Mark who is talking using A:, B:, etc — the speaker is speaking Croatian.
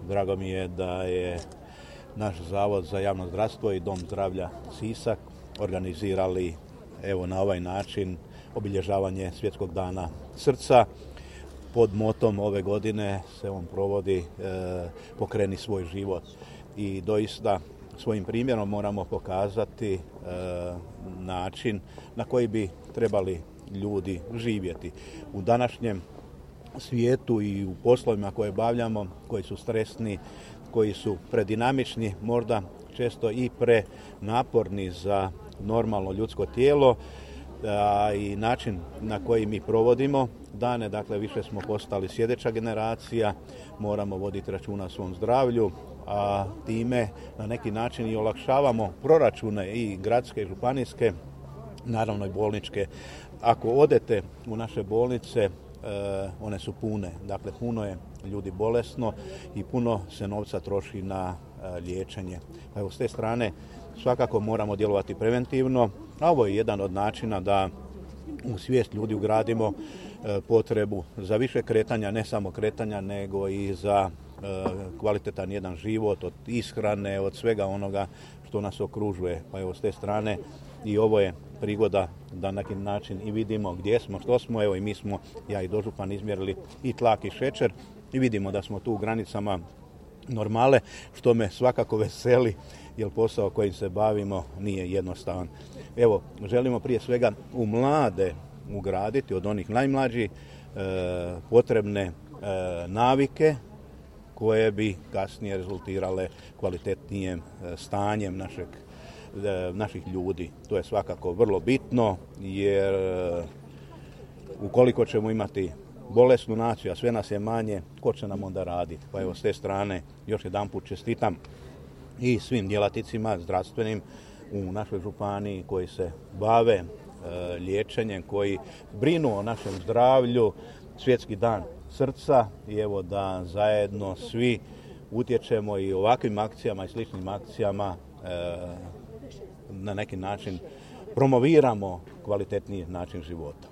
A: Drago mi je da je naš Zavod za javno zdravstvo i Dom zdravlja Sisak organizirali evo na ovaj način obilježavanje Svjetskog dana srca. Pod motom ove godine se on provodi Pokreni svoj život i doista svojim primjerom moramo pokazati način na koji bi trebali ljudi živjeti. U današnjem svijetu i u poslovima koje obavljamo, koji su stresni, koji su predinamični, možda često i prenaporni za normalno ljudsko tijelo, i način na koji mi provodimo dane, dakle više smo postali sjedeća generacija, moramo voditi računa o svom zdravlju, a time na neki način i olakšavamo proračune i gradske i županijske, naravno i bolničke. Ako odete u naše bolnice, one su pune, dakle puno je ljudi bolesno i puno se novca troši na liječenje. Evo, s te strane svakako moramo djelovati preventivno, a ovo je jedan od načina da u svijest ljudi ugradimo potrebu za više kretanja, ne samo kretanja, nego i za kvalitetan jedan život, od ishrane, od svega onoga što nas okružuje. Pa evo, s te strane i ovo je prigoda da na neki način i vidimo gdje smo, što smo. Evo i mi smo, ja i dožupan, izmjerili i tlak i šećer i vidimo da smo tu u granicama normale, što me svakako veseli, jer posao kojim se bavimo nije jednostavan. Evo, želimo prije svega u mlade ugraditi, od onih najmlađih, potrebne navike koje bi kasnije rezultirale kvalitetnijem stanjem naših ljudi. To je svakako vrlo bitno, jer ukoliko ćemo imati bolesnu naciju, a sve nas je manje, ko će nam onda raditi? Pa evo, s te strane još jedanput čestitam i svim djelatnicima zdravstvenim u našoj županiji koji se bave liječenjem, koji brinu o našem zdravlju. Svjetski dan srca i evo da zajedno svi utječemo i ovakvim akcijama i sličnim akcijama na neki način promoviramo kvalitetniji način života.